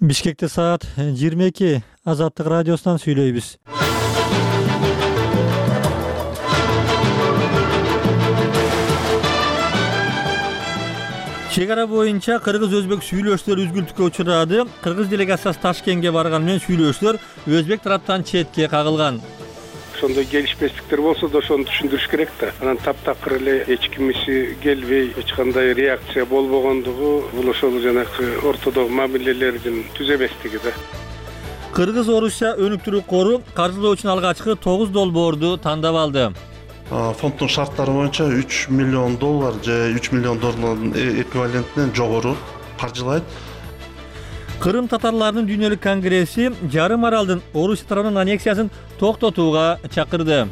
Бишкекте саат 22. Азаттык радиосунан сүйлөйбүз. Чек ара боюнча кыргыз-өзбек сүйлөшүүлөр үзгүлтүккө учурады. Кыргыз делегациясы Ташкентке барган менен сүйлөшүүлөр өзбек тараптан четке кагылган. Ошондой келишпестиктер болсо да ошону түшүндүрүш керек да. Анан таптакыр эле эч кимиси келбей, эч кандай реакция болбогондугу бул ошол жанагы ортодогу мамилелердин түз эместиги да. Кыргыз-Орусия өнүктүрүү кору каржылоо үчүн алгачкы 9 долбоорду тандап алды. Фонддун шарттары боюнча $3 миллион же $3 миллион эквивалентинен жогору каржылайт. Кырым татарларынын дүйнөлүк конгресси жарым аралдын Орусия тарабынын аннексиясын токтотууга чакырды.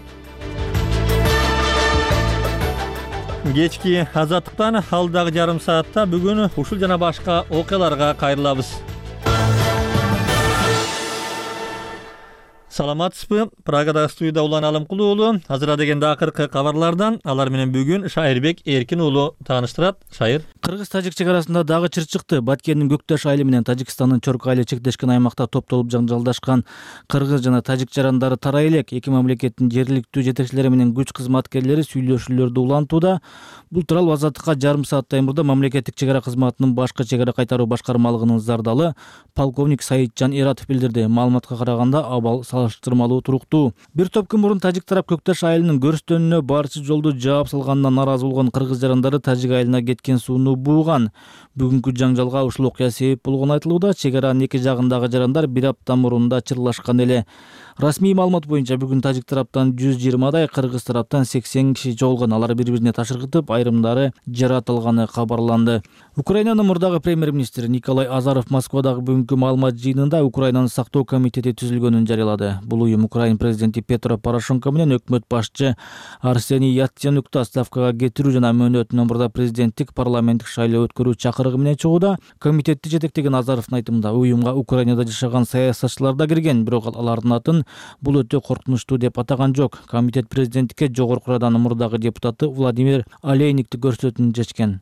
Кечки азаттыктан алдагы жарым саатта бүгүн ушул жана башка окуяларга кайрылабыз. Саламатсызбы? Прагадагы студияда Улан Алымкулуу уулу. Азыр дегенде акыркы кабарлардан алар менен бүгүн Шайырбек Эркин уулу тааныштырат. Шайыр. Кыргыз-тажик чек арасында дагы чыр чыкты. Баткендин Көкташ айылы менен Тажикстандын Чорко айылы чектешкен аймакта топтолуп жаңжалдашкан кыргыз жана тажик жарандары тарай элек эки мамлекеттин жергиликтүү жетекчилери менен күч кызматкерлери сүйлөшүүлөрдү улантууда. Бул тууралуу Азаттыкка жарым сааттай мурда мамлекеттик чек ара кызматынын башкы чек ара кайтаруу башкармалыгынын зардалы полковник Саитжан Эратов билдирди. Маалыматка караганда абал салыштырмалуу туруктуу. Бир топ күн мурун тажик тарап Көкташ айылынын көрүстөнүнө барчы жолду жаап салганынан наразы болгон кыргыз жарандары тажик айылына кеткен сууну бууган. Бүгүнкү жаңжалга ушул окуя себеп болгону айтылууда. Чек аранын эки жагындагы жарандар бир апта мурун да чырлашкан эле. Расмий маалымат боюнча бүгүн тажик тараптан 120дай, кыргыз тараптан 80 киши жоголгон. Алар бири-бирине ташыргытып, айрымдары жаратылганы кабарланды. Украинанын мурдагы премьер-министри Николай Азаров Москвадагы бүгүнкү маалымат жыйынында Украинанын сактоо комитети түзүлгөнүн жарыялады. Бул уюм Украин президенти Петро Порошенко менен өкмөт башчы Арсений Яценюкту отставкага кетирүү жана мөөнөтүнөн мурда президенттик парламенттик шайлоо өткөрүү чакырыгы менен чыгууда. Комитетти жетектеген Азаровдун айтымында уюмга Украинада жашаган саясатчылар да кирген, бирок алардын атын бул өтө коркунучтуу деп атаган жок. Комитет президенттикке жогорку Раданын мурдагы депутаты Владимир Олейникти көрсөтүүнү чечкен.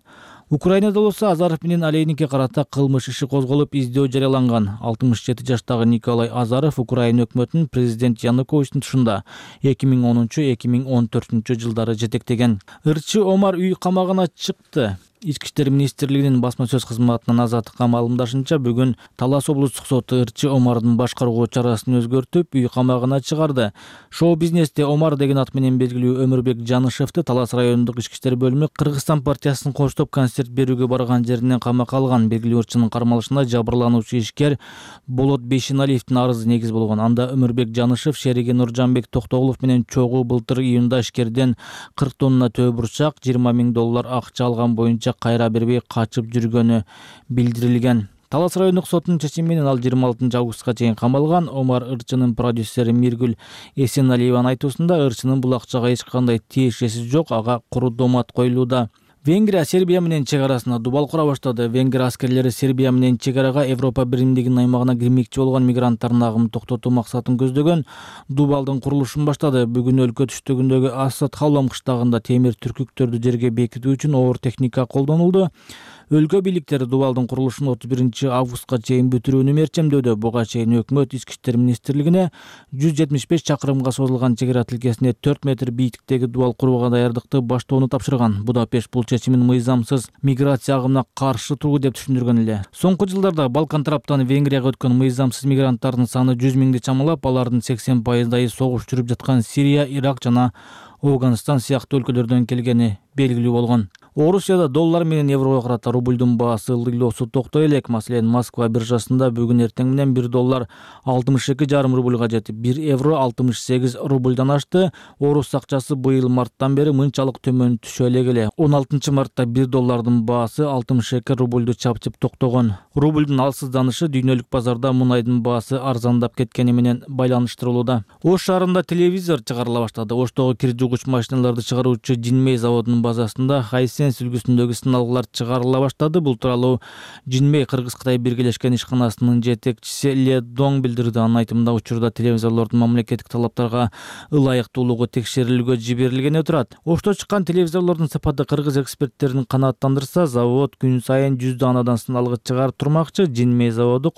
Украинада болсо Азаров менен Олейникке карата кылмыш иши козголуп, издөө жарыяланган. 67 жаштагы Николай Азаров Украина өкмөтүнүн президент Януковичтин тушунда 2010-2014 жылдары жетектеген. Ырчы Омар үй камагына чыкты. Ички иштер министрлигинин басма сөз кызматынын Азаттыкка маалымдашынча, бүгүн Талас облустук соту Ырчы Омардын башкаруу чарасын өзгөртүп, үй камагына чыгарды. Шоу-бизнесте Омар деген ат менен белгилүү Өмүрбек Жанышевди Талас райондук ички иштер бөлүмү Кыргызстан партиясынын коштоп концерт берүүгө барган жеринен камакка алган. Белгилүү ырчынын кармалышында жабырлануучу ишкер Болот Бейшеналиевдин арызы негиз болгон. Анда Өмүрбек Жанышев шериги Нуржанбек Токтоголов менен чогуу былтыр июнда ишкерден 40 тонна төө бурчак, $20 000 акча алган боюнча кайра бербей качып жүргөнү билдирилген. Талас райондук сотунун чечими менен ал 26 августка чейин камалган. Омар ырчынын продюсери Миргүл Эсеналиеванын айтуусунда ырчынын бул акчага эч кандай тиешеси жок, ага куру домат коюлууда. Венгрия Сербия менен чек арасына дубал кура баштады. Венгрия аскерлери Сербия менен чек арага Европа биримдигинин аймагына кирмекчи болгон мигранттардын агымын токтотуу максатын көздөгөн дубалдын курулушун баштады. Бүгүн өлкө түштүгүндөгү Асад Халом кыштагында темир түркүктөрдү жерге бекитүү үчүн оор техника колдонулду. Өлкө бийликтери дубалдын курулушун 31 августка чейин бүтүрүүнү мерчемдөдө. Буга чейин өкмөт ички иштер министрлигине 175 чакырымга созулган чек ара тилкесине 4 метр бийиктиктеги дубал курууга даярдыкты баштоону тапшырган. Будапешт бул чечимин мыйзамсыз миграция агымына каршы туруу деп түшүндүргөн эле. Соңку жылдарда Балкан тараптан Венгрияга өткөн мыйзамсыз мигранттардын саны 100 000 чамалап, алардын 80% согуш жүрүп жаткан Сирия, Ирак жана Афганистан сыяктуу өлкөлөрдөн келгени белгилүү болгон. Орусияда доллар менен еврого карата рубльдун баасы ылдыйлоосу токтой элек. Маселен, Москва биржасында бүгүн эртең менен 1 доллар 62,5 рубльга жетип, 1 евро 68 рубльдан ашты. Орус акчасы быйыл марттан бери мынчалык төмөн түшө элек. 16 мартта 1 доллардын баасы 62 рубльду чапчып токтогон. Рубльдун алсызданышы дүйнөлүк базарда мунайдын баасы арзандап кеткени менен байланыштырылууда. Ош шаарында телевизор чыгарыла баштады. Оштогу кир жугуч машиналарды чыгаруучу Jinmei заводунун базасында Хайсенс үлгүсүндөгү сыналгылар чыгарыла баштады. Бул тууралуу Jinmei Кыргыз-Кытай биргелешкен ишканасынын жетекчиси Ле Дong билдирди. Анын айтымында, учурда телевизорлордун мамлекеттик талаптарга ылайыктуулугу текшерилүүгө жиберилгени турат. Ошто чыккан телевизорлордун сапаты кыргыз эксперттерин канааттандырса, завод күн сайын 100 даанадан сыналгыч чыгарып турмакчы. Jinmei заводу